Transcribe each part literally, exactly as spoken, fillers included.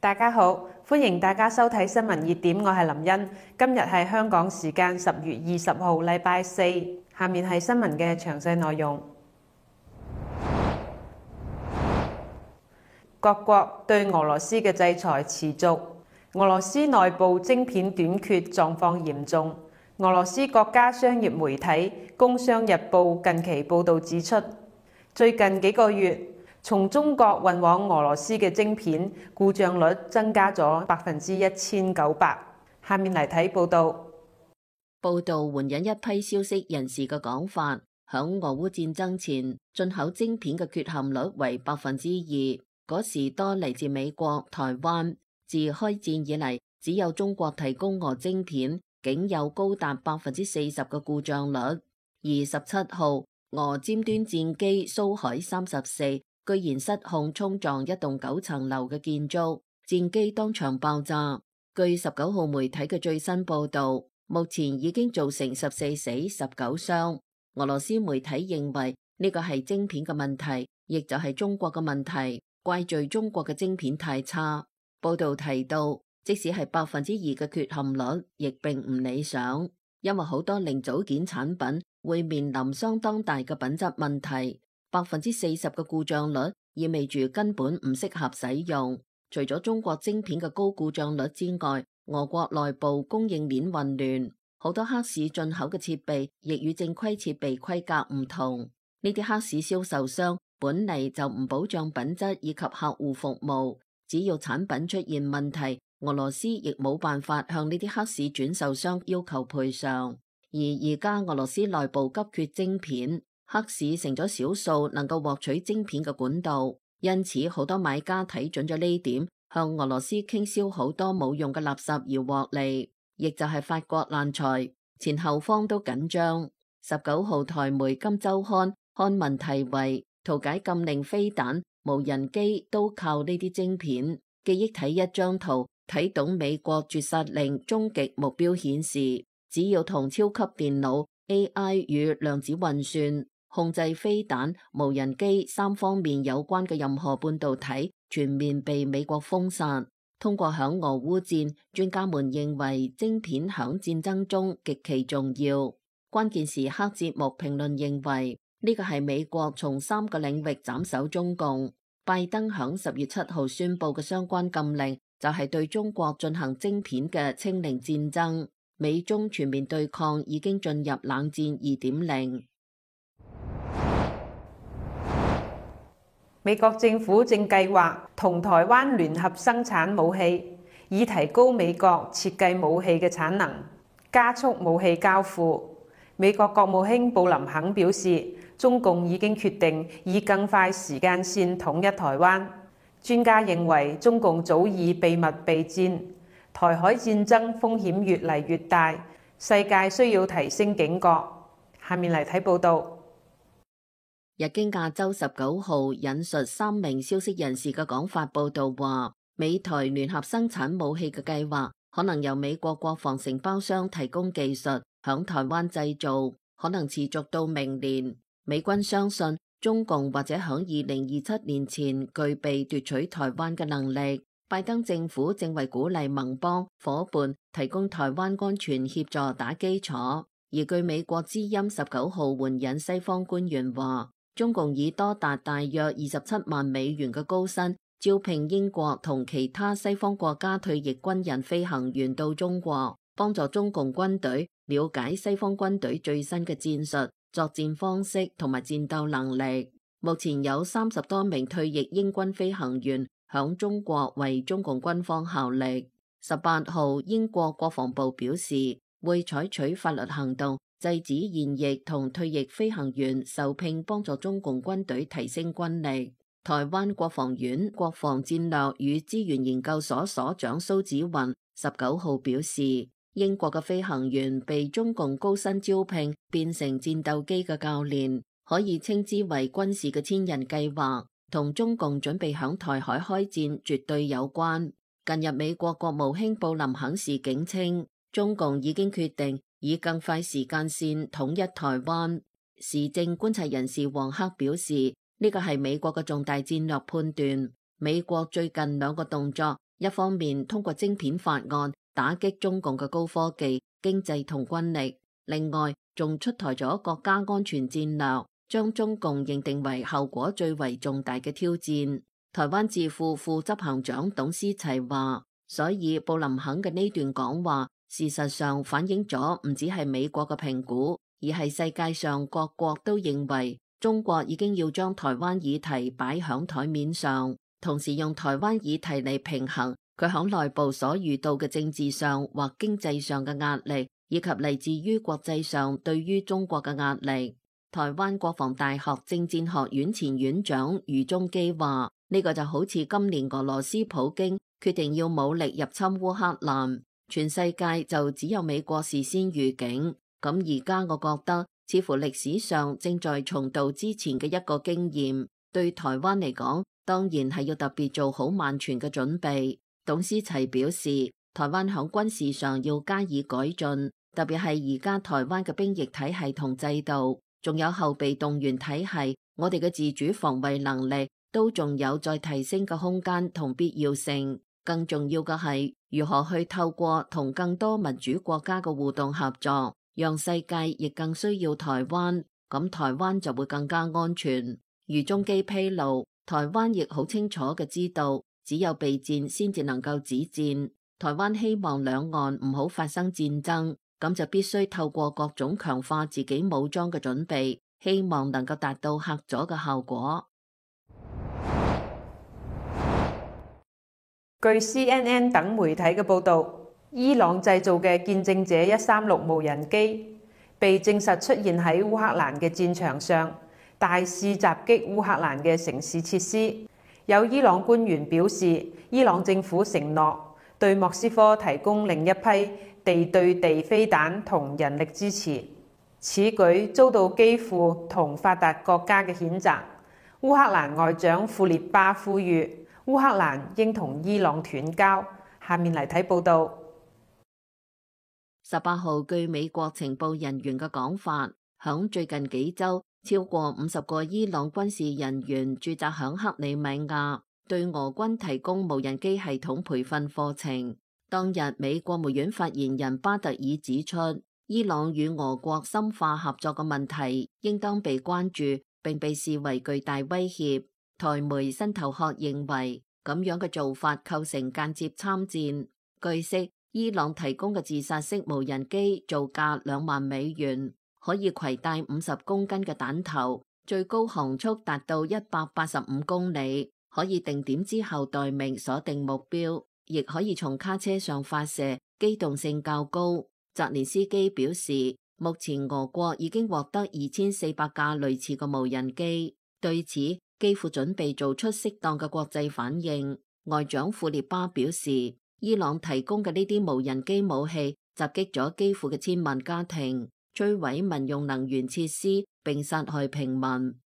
大家好，歡迎大家收睇新聞熱點，我係林茵。今日係香港時間十月二十號，禮拜四。下面係新聞嘅詳細內容。各國對俄羅斯嘅制裁持續，俄羅斯內部晶片短缺狀況嚴重。俄羅斯國家商業媒體《工商日報》近期報導指出，最近幾個月，從中國運往俄羅斯嘅晶片故障率增加咗百分之一千九百。下面嚟睇報導。報導援引一批消息人士嘅講法，響俄烏戰爭前，進口晶片嘅缺陷率為百分之二。嗰時多嚟自美國、台灣。自開戰以嚟，只有中國提供俄晶片，竟有高達百分之四十嘅故障率。而十七號，俄尖端戰機蘇海三十四居然失控衝撞一棟九層樓嘅建築，戰機當場爆炸。據十九號媒體嘅最新報導，目前已經造成十四死十九傷。俄羅斯媒體認為呢個係晶片嘅問題，亦就係中國嘅問題，怪罪中國嘅晶片太差。報導提到，即使係百分之二嘅缺陷率，亦並唔理想，因為好多零組件產品會面臨相當大嘅品質問題。百分之四十嘅故障率意味住根本唔適合使用。除咗中國晶片嘅高故障率之外，俄國內部供應鏈混亂，好多黑市進口嘅設備亦與正規設備規格唔同。呢啲黑市銷售商本嚟就唔保障品質以及客戶服務，只要產品出現問題，俄羅斯亦冇辦法向呢啲黑市轉售商要求賠償。而而家俄羅斯內部急缺晶片，黑市成咗少數能夠獲取晶片嘅管道，因此好多買家睇準咗呢點，向俄羅斯傾銷好多冇用嘅垃圾而獲利，亦就係發國難財，前後方都緊張。十九號台媒《今周刊》刊文題為《圖解禁令飛彈、無人機都靠呢啲晶片》，記憶睇一張圖，睇懂美國絕殺令終極目標顯示，只要同超級電腦、A I 與量子運算、控制飛彈、無人機三方面有關嘅任何半導體全面被美國封殺。通過響俄烏戰，專家們認為晶片響戰爭中極其重要。關鍵時刻節目評論認為呢個係美國從三個領域斬首中共。拜登響十月七號宣布嘅相關禁令就係對中國進行晶片嘅清零戰爭。美中全面對抗已經進入冷戰二點零。美國政府正計劃同台灣聯合生產武器，以提高美國設計武器嘅產能，加速武器交付。美國國務卿布林肯表示，中共已經決定以更快時間線統一台灣。專家認為，中共早已秘密備戰，台海戰爭風險越嚟越大，世界需要提升警覺。下面嚟睇報導。日經亞洲十九號引述三名消息人士嘅講法報道話，美台聯合生產武器嘅計劃可能由美國國防承包商提供技術，響台灣製造，可能持續到明年。美軍相信中共或者響二零二七年前具備奪取台灣嘅能力。拜登政府正為鼓勵盟邦夥伴提供台灣安全協助打基礎。而據美國之音十九號援引西方官員話，中共以多達大約二十七萬美元嘅高薪招聘英國同其他西方國家退役軍人飛行員到中國，幫助中共軍隊了解西方軍隊最新嘅戰術、作戰方式同埋戰鬥能力。目前有三十多名退役英軍飛行員響中國為中共軍方效力。十八號，英國國防部表示會採取法律行動，制止現役同退役飛行員受聘幫助中共軍隊提升軍力。台灣國防院國防戰略與資源研究所所長蘇紫雲十九號表示，英國嘅飛行員被中共高薪招聘變成戰鬥機嘅教練，可以稱之為軍事嘅千人計劃，同中共準備響台海開戰絕對有關。近日美國國務卿布林肯時警稱，中共已經決定以更快時間線統一台灣。時政觀察人士黃克表示，呢個係美國嘅重大戰略判斷。美國最近兩個動作，一方面通過晶片法案打擊中共嘅高科技、經濟同軍力，另外仲出台咗國家安全戰略，將中共認定為後果最為重大嘅挑戰。台灣智庫副執行長董思齊話，所以布林肯嘅呢段講話，事實上反映咗唔只係美國嘅評估，而係世界上各國都認為中國已經要將台灣議題擺響台面上，同時用台灣議題嚟平衡佢響內部所遇到嘅政治上或經濟上嘅壓力，以及嚟自於國際上對於中國嘅壓力。台灣國防大學政戰學院前院長余宗基話，呢個就好似今年俄羅斯普京決定要武力入侵烏克蘭，全世界就只有美國事先預警。咁而家我覺得似乎歷史上正在重蹈之前嘅一個經驗，對台灣嚟講當然係要特別做好萬全嘅準備。董思齊表示，台灣響軍事上要加以改進，特別係而家台灣嘅兵役體系同制度，仲有後備動員體系，我哋嘅自主防衛能力都仲有再提升嘅空間同必要性。更重要嘅係如何去透過同更多民主國家嘅互動合作，讓世界亦更需要台灣，咁台灣就會更加安全。余宗基披露，台灣亦好清楚嘅知道，只有備戰先至能夠止戰。台灣希望兩岸唔好發生戰爭，咁就必須透過各種強化自己武裝嘅準備，希望能夠達到嚇阻嘅效果。據 C N N 等媒體嘅報導，伊朗製造嘅見證者一三六無人機被證實出現喺烏克蘭嘅戰場上，大肆襲擊烏克蘭嘅城市設施。有伊朗官員表示，伊朗政府承諾對莫斯科提供另一批地對地飛彈同人力支持。此舉遭到基輔同發達國家嘅譴責。烏克蘭外長庫列巴呼籲烏克蘭應同伊朗斷交。下面嚟睇報道。十八號，據美國情報人員嘅講法，響最近幾週，超過五十個伊朗軍事人員駐紮響克里米亞，對俄軍提供無人機系統培訓課程。當日，美國國務院發言人巴特爾指出，伊朗與俄國深化合作嘅問題應當被關注，並被視為巨大威脅。台媒新頭殼認為，咁樣嘅做法構成間接參戰。據悉，伊朗提供嘅自殺式無人機造價兩萬美元，可以攜帶五十公斤嘅彈頭，最高航速達到一百八十五公里，可以定點之後待命鎖定目標，亦可以從卡車上發射，機動性較高。澤連斯基表示，目前俄國已經獲得二千四百架類似嘅無人機，對此基輔準備做出適當嘅國際反應。外長庫列巴表示，伊朗提供嘅呢啲無人機武器襲擊咗基輔嘅千萬家庭，摧毀民用能源設施並殺害平民。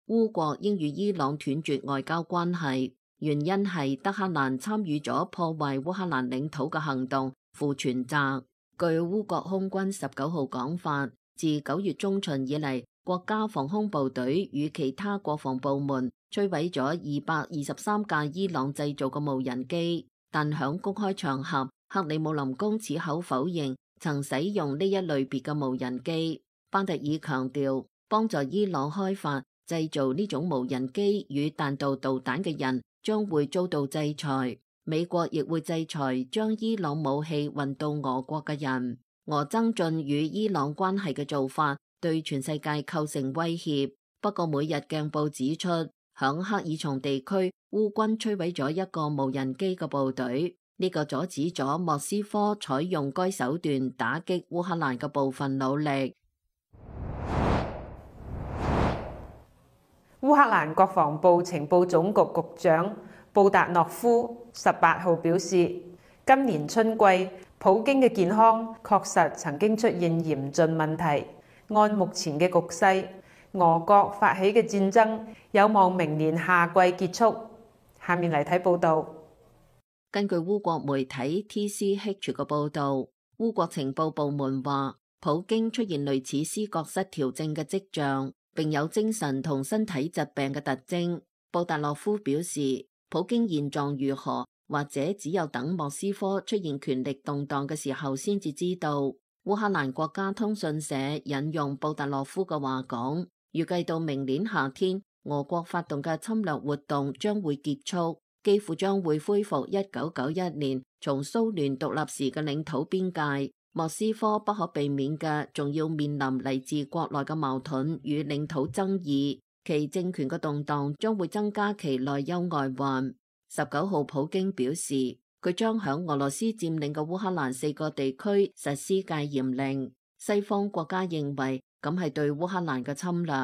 烏國應與伊朗斷絕外交關係，原因係德黑蘭參與咗破壞烏克蘭領土嘅行動，負全責。據烏國空軍十九號講法，自九月中旬以嚟，國家防空部隊與其他國防部門摧毀咗二百二十三架伊朗製造嘅無人機，但響公開場合，克里姆林宮矢口否認曾使用呢一類別嘅無人機。巴特爾強調，幫助伊朗開發製造呢種無人機與彈道導彈嘅人將會遭到制裁，美國亦會制裁將伊朗武器運到俄國嘅人。俄增進與伊朗關係嘅做法對全世界構成威脅。不過每日鏡報指出，響克爾松地區，烏軍摧毀咗一個無人機嘅部隊，呢、這個阻止咗莫斯科採用該手段打擊烏克蘭嘅部分努力。烏克蘭國防部情報總局局長布達諾夫十八號表示，今年春季普京嘅健康確實曾經出現嚴峻問題。按目前嘅局勢，俄國發起嘅戰爭有望明年夏季結束。下面嚟睇報道。根據烏國媒體 T C H 嘅報道，烏國情報部門話，普京出現類似思覺失調症嘅跡象，並有精神同身體疾病嘅特徵。布達諾夫表示，普京現狀如何或者只有等莫斯科出現權力動盪嘅時候先至知道。烏克蘭國家通訊社引用布達洛夫嘅話講，預計到明年夏天，俄國發動嘅侵略活動將會結束，幾乎將會恢復一九九一年從蘇聯獨立時嘅領土邊界。莫斯科不可避免嘅，仲要面臨嚟自國內嘅矛盾與領土爭議，其政權嘅動盪將會增加其內憂外患。十九號，普京表示，佢將響俄羅斯佔領嘅烏克蘭四個地區實施戒嚴令。西方國家認為咁係對烏克蘭嘅侵略。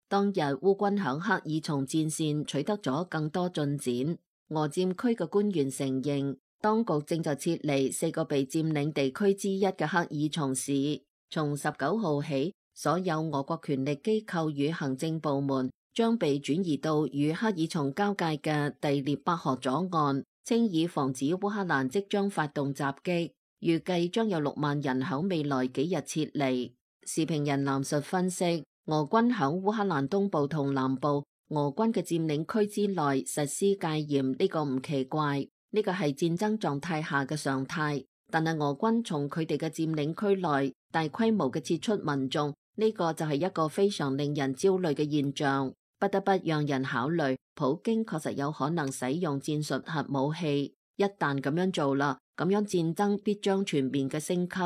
當日烏軍響克爾松戰線取得咗更多進展。俄佔區嘅官員承認，當局正在撤離四個被佔領地區之一嘅克爾松市。從十九號起，所有俄國權力機構與行政部門將被轉移到與克爾松交界嘅第聶伯河左岸，稱以防止烏克蘭即將發動襲擊。預計將有六萬人響未來幾日撤離。時評人藍述分析，俄軍響烏克蘭東部同南部俄軍嘅佔領區之內實施戒嚴，呢個唔奇怪。呢個係戰爭狀態下嘅常態，但係俄軍從佢哋嘅佔領區內大規模嘅撤出民眾，呢個就係一個非常令人焦慮嘅現象，不得不讓人考慮普京確實有可能使用戰術核武器。一旦咁樣做啦，咁樣戰爭必將全面嘅升級。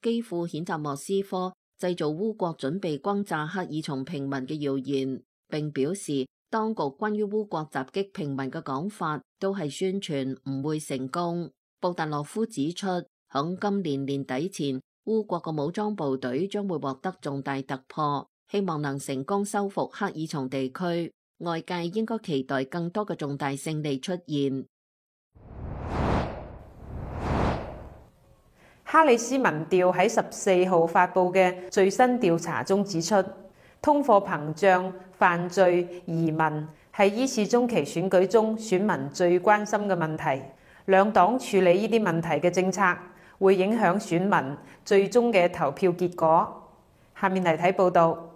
基輔譴責莫斯科製造烏國準備轟炸克爾松平民嘅謠言，並表示當局關於烏國襲擊平民嘅講法都係宣傳，唔會成功。布達洛夫指出，響今年年底前，烏國嘅武裝部隊將會獲得重大突破，希望能成功收復克爾松地區。外界應該期待更多嘅重大勝利出現。哈里斯民調喺十四號發布嘅最新調查中指出，通貨膨脹、犯罪、移民係依次中期選舉中選民最關心嘅問題。兩黨處理呢啲問題嘅政策會影響選民最終嘅投票結果。下面嚟睇報道。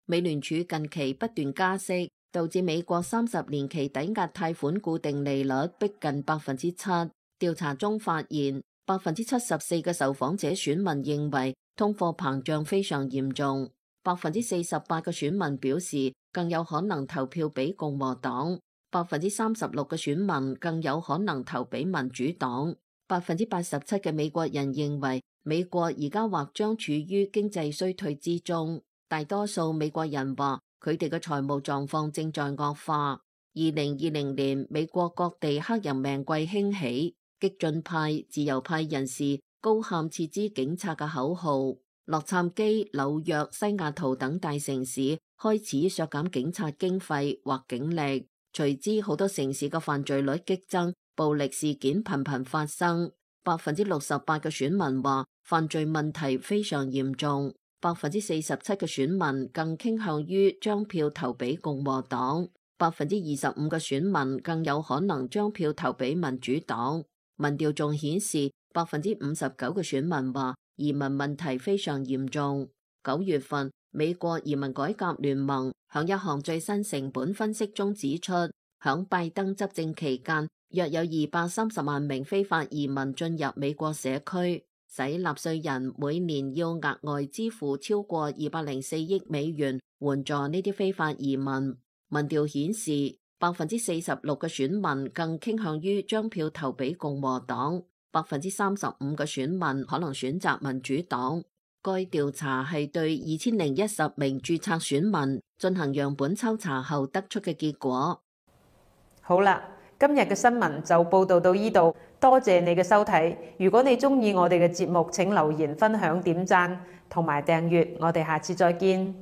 美聯儲近期不斷加息，導致美國三十年期抵押貸款固定利率逼近百分之七。調查中發現，百分之七十四嘅受訪者選民認為通貨膨脹非常嚴重，百分之四十八嘅選民表示更有可能投票俾共和黨，百分之三十六嘅選民更有可能投俾民主黨，百分之八十七嘅美國人認為美國而家或將處於經濟衰退之中，大多數美國人話佢哋嘅財務狀況正在惡化。二零二零年美國各地黑人命貴興起，激進派、自由派人士高喊撤資警察嘅口號，洛杉磯、紐約、西雅圖等大城市開始削減警察經費或警力，隨之好多城市嘅犯罪率激增，暴力事件頻頻發生。百分之六十八嘅選民話犯罪問題非常嚴重，百分之四十七嘅選民更傾向於將票投俾共和黨，百分之二十五嘅選民更有可能將票投俾民主黨。民調仲顯示，百分之五十九嘅選民話移民問題非常嚴重。九月份，美國移民改革聯盟響一項最新成本分析中指出，響拜登執政期間，約有二百三十萬名非法移民進入美國社區，使納稅人每年要額外支付超過二百零四億美元援助呢啲非法移民。民調顯示，百分之四十六嘅選民更傾向於將票投俾共和黨，百分之三十五嘅選民可能選擇民主黨。該調查係對二千零一十名註冊選民進行樣本抽查後得出嘅結果。好啦，今日嘅新聞就報道到呢度，多謝你嘅收睇。如果你鍾意我哋嘅節目，請留言、分享、點讚同埋訂閱。我哋下次再見。